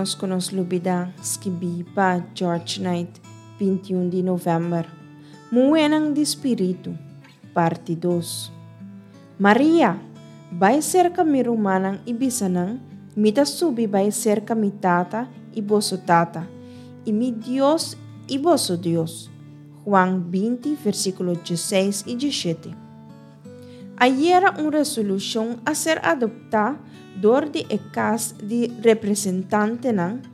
ménos ku nos lubidá, skibí pa George Knight, 21 di novèmber. Muhénan di Spiritu, parti dos. Maria, bai serka mi rumannan i bisa nan, Mi ta subi bai serka mi Tata i boso Tata, i mi Dios i boso Dios. Juan 20, versíkulo 16 i 17. Ayera un resolushon a ser adoptá dor di e Kas di Representantenan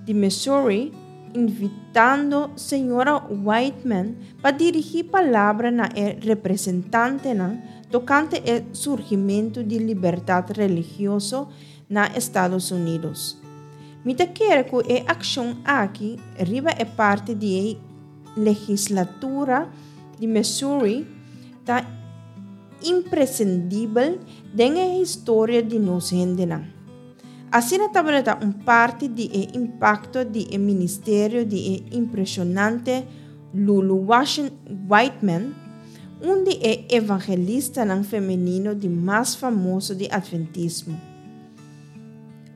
di Missouri invitando señora Whiteman pa dirigí palabra na e representantenan tokante e surgimentu di libertat religioso na Estados Unidos. Mi ta kere ku e akshon aki riba e parti di e legislatura di Missouri ta impresendibel den e historia di nos hendenan. Asina tabata un parti di e impakto di e ministerio di e impreshonante Lulu Whiteman, un di e evangelistanan femenino di mas famoso di Adventismo.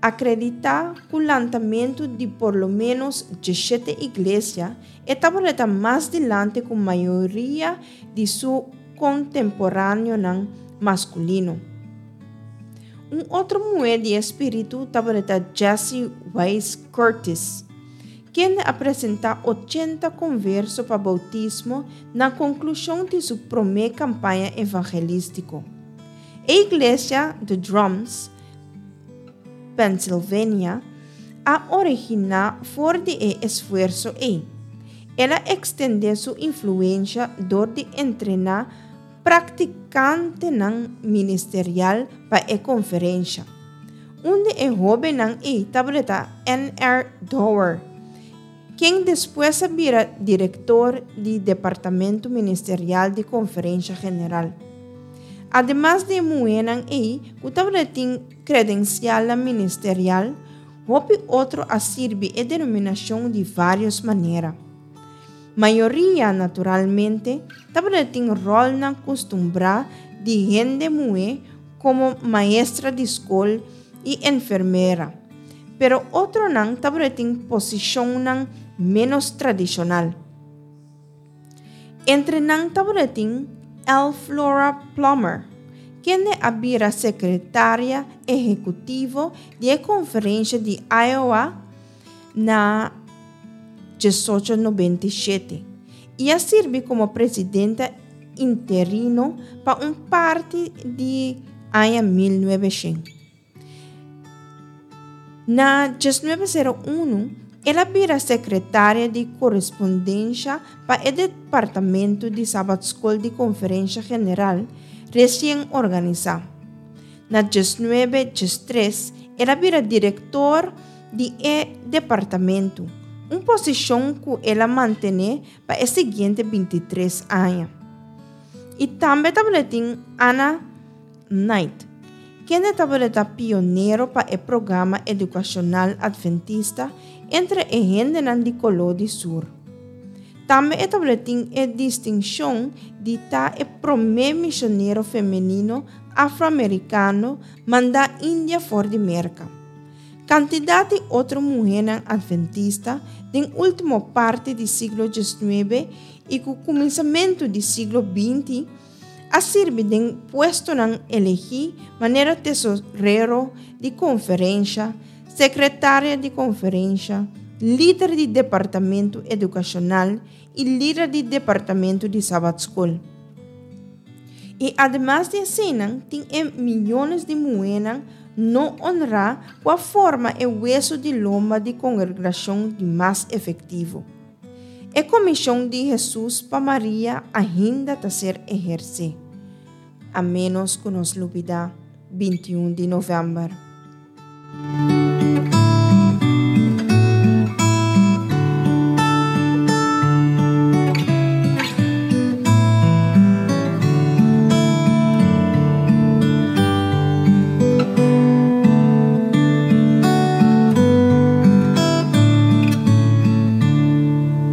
Akreditá ku lantamentu di por lo ménos djeshete iglesia, e tabata mas dilanti ku mayoria di su kontemporáneonan maskulino. Un otro muhé di e spiritu tabata Jessie Wise Curtis, kende a presentá ochenta konverso pa boutismo na konklushon di su promé kampaña evangelístiko. E iglesia The Drums, Pennsylvania, a originá for di e esfuerso ei. El a ekstendé su influensha dor di entrená praktikantenan ministerial pa e konferensha. Un di e hóbennan ei tabata NR. Dower, ken despues a bira direktor di Departamento Ministerial di Konferensha General. Ademas di e muhénan ei ku tabata tin kredensialnan ministerial, hopi otro a sirbi e denominashon di vários manera. Mayoria, naturalmente, tabata tin ròlnan kustumbrá di hende muhé komo maestra di skol i enfermera, pero otronan tabata tin posishonnan ménos tradishonal. Entre nan tabata tin L. Flora Plummer, kende a bira sekretaria ehekutivo di e Konferensha di Iowa na 1897 i a sirbi komo presidenta interino pa un parti di aña 1900. Na 1901, el a bira sekretaria di korespondensha pa e Departamento di Sabatskol di Konferensha General resien organisá. Na 1913, el a bira direktor di e departamento, un posishon ku el a mantené pa e siguiente 23 aña. I tambe tabatin Anna Knight, kende tabata pionero pa e programa edukashonal Adventista entre e hendenan di koló di sur. Tambe e tabatin e distinshon di ta e promé mishonero femenino afroamerikano mandá India for di Merka. Kantidat di otro muhénan adventista den último parti di siglo diesnuebe i ku kuminsamentu di siglo binti a sirbi den puestonan elegí manera tesorero di konferensha, sekretaria di konferensha, lider di departamentu edukashonal i lider di departamentu di sabatskol. I ademas di eseinan tin e miyones di muhénan no onrá ku a forma e wesu di lomba di kongregashon di mas efektivo. E komishon di Hesus pa Maria ainda ta ser ehersé, a ménos ku nos lubidá 21 di novèmber.